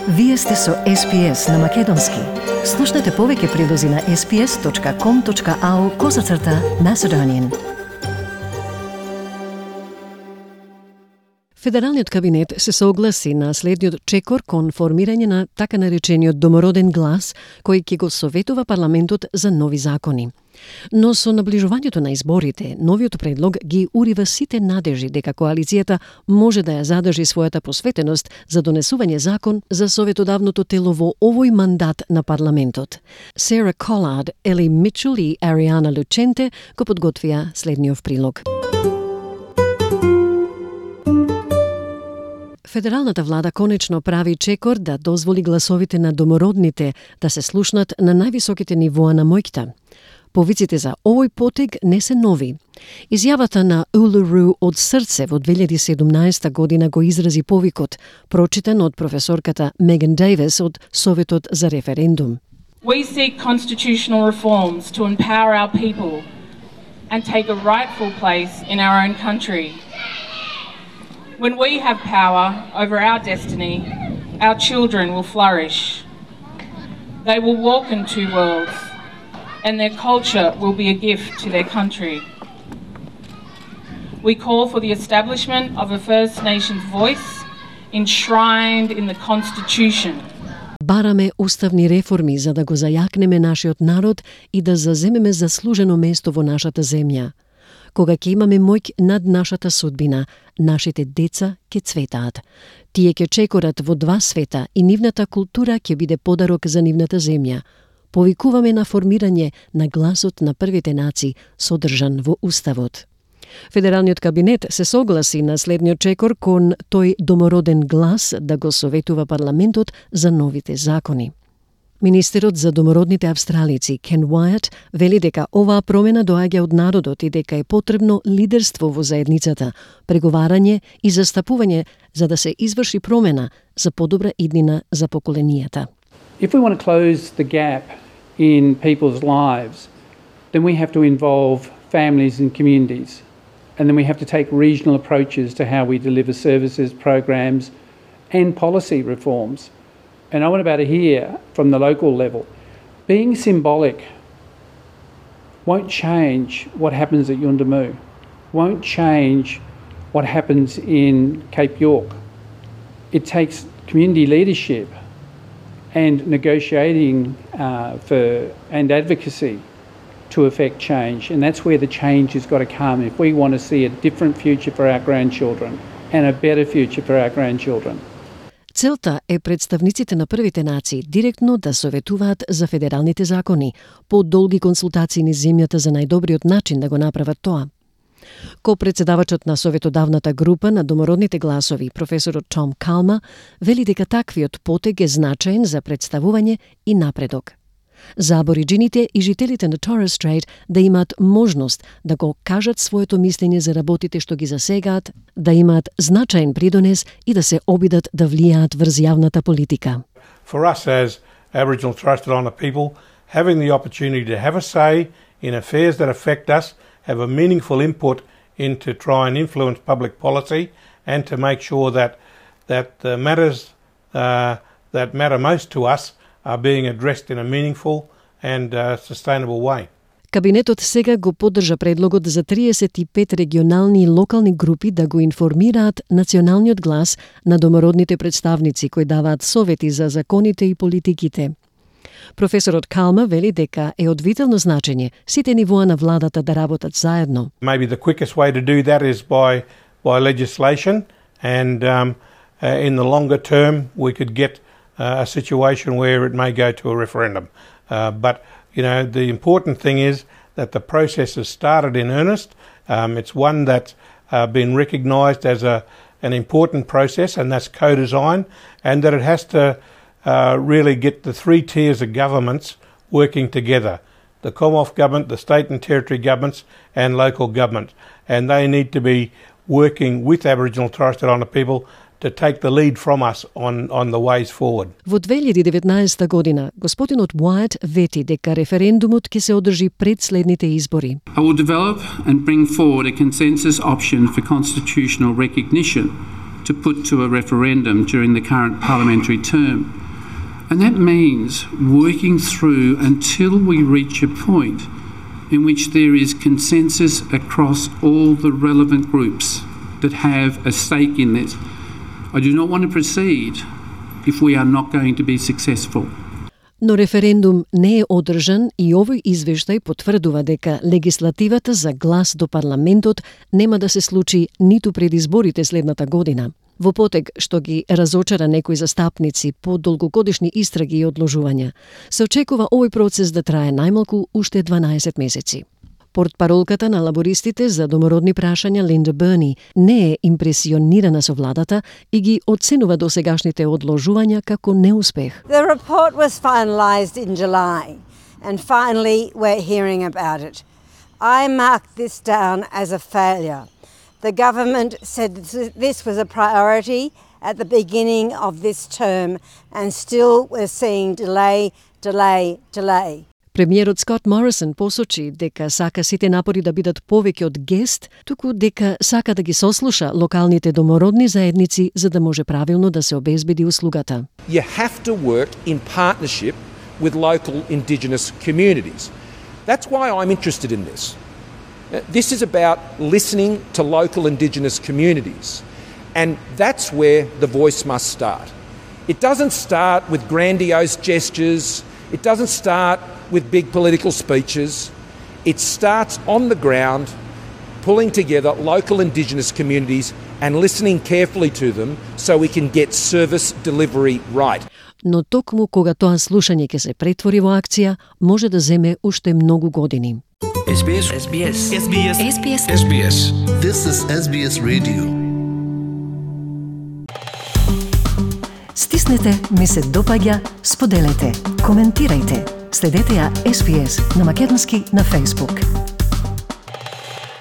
Вие сте со SPS на Македонски. Слушнете повеќе прилози на sps.com.au/Macedonian. Федералниот кабинет се согласи на следниот чекор кон формирање на така наречениот домороден глас, кој ќе го советува парламентот за нови закони. Но со наближувањето на изборите, новиот предлог ги урива сите надежи дека коалицијата може да ја задржи својата посветеност за донесување закон за советодавното тело во овој мандат на парламентот. Сара Колард, Ели Мичел и Ариана Лученте го подготвија следниот прилог. Федералната влада конечно прави чекор да дозволи гласовите на домородните да се слушнат на највисоките нивоа на моќта. Повиците за овој потег не се нови. Изјавата на Улуру од срце во 2017 година го изрази повикот, прочитан од професорката Меган Дейвис од Советот за референдум. We seek constitutional reforms to empower our people and take a rightful place in our own country. When we have power over our destiny, our children will flourish. They will walk in two worlds, and their culture will be a gift to their country. We call for the establishment of a First Nations voice enshrined in the Constitution. Бараме уставни реформи за да го зајакнеме нашиот народ и да заземеме заслужено место во нашата земја. Кога ќе имаме моќ над нашата судбина, нашите деца ќе цветаат. Тие ќе чекорат во два света и нивната култура ќе биде подарок за нивната земја. Повикуваме на формирање на гласот на првите нации, содржан во Уставот. Федералниот кабинет се согласи на следниот чекор кон тој домороден глас да го советува парламентот за новите закони. Министерот за домородните австралици Кен Уајат вели дека оваа промена доаѓа од народот и дека е потребно лидерство во заедницата, преговарање и застапување за да се изврши промена за подобра иднина за поколенијата. If we want to close the gap in people's lives, then we have to involve families and communities. And then we have to take regional approaches to how we deliver services, programs, and policy reforms. And I want to hear from the local level. Being symbolic won't change what happens at Yuendumu, won't change what happens in Cape York. It takes community leadership and negotiating and advocacy to affect change. And that's where the change has got to come if we want to see a different future for our grandchildren and a better future for our grandchildren. Целта е представниците на првите нации директно да советуваат за федералните закони, по долги консултации низ земјата за најдобриот начин да го направат тоа. Ко-председавачот на советодавната група на домородните гласови, професорот Том Калма, вели дека таквиот потег е значаен за представување и напредок. За абориджините и жителите на Торres Strait да имаат можност да го кажат своето мислење за работите што ги засегаат, да имаат значаен придонес и да се обидат да влијаат врз јавната политика. For us as Aboriginal Torres Strait Islander people, having the opportunity to have a say in affairs that affect us, have a meaningful input into try and influence public policy and to make sure that the matters that matter most to us are being addressed in a meaningful and sustainable way. Кабинетот сега го поддржа предлогот за 35 регионални и локални групи да го информираат националниот глас на домородните представници кои даваат совети за законите и политиките. Професорот Калма вели дека е од витално значење сите нивоа на владата да работат заедно. Maybe the quickest way to do that is by legislation and in the longer term we could get a situation where it may go to a referendum. But, the important thing is that the process has started in earnest. It's one that's been recognised as an important process, and that's co-design, and that it has to really get the three tiers of governments working together. The Commonwealth government, the state and territory governments, and local government. And they need to be working with Aboriginal Torres Strait Islander people to take the lead from us on the ways forward. Во 2019 година, господинот Уајат вети дека референдумот ќе се одржи пред следните избори. I will develop and bring forward a consensus option for constitutional recognition to put to a referendum during the current parliamentary term. And that means working through until we reach a point in which there is consensus across all the relevant groups that have a stake in this. I do not want to proceed if we are not going to be successful. Но референдум не е одржан и овој извештај потврдува дека легислативата за глас до парламентот нема да се случи ниту пред изборите следната година. Во потег што ги разочара некои застапници по долгогодишни истраги и одложувања, се очекува овој процес да трае најмалку уште 12 месеци. Портпаролката на лабористите за домородни прашања Линда Берни не е импресионирана со владата и ги оценува досегашните одложувања како неуспех. The report was finalised in July and finally we're hearing about it. I marked this down as a failure. The government said this was a priority at the beginning of this term and still we're seeing delay. Премиерот Скот Морисон посочи дека сака сите напори да бидат повеќе од гест, туку дека сака да ги сослуша локалните домородни заедници за да може правилно да се обезбеди услугата. You have to work in partnership with local Indigenous communities. That's why I'm interested in this. This is about listening to local Indigenous communities, and that's where the voice must start. It doesn't start with grandiose gestures, it doesn't start with big political speeches. It starts on the ground, pulling together local Indigenous communities and listening carefully to them so we can get service delivery right. Но токму кога тоа слушање ќе се претвори во акција, може да земе уште многу години. SBS. This is SBS Radio. Стиснете, ми се допаѓа, споделете, коментирајте. Следете ја SBS на македонски на Facebook.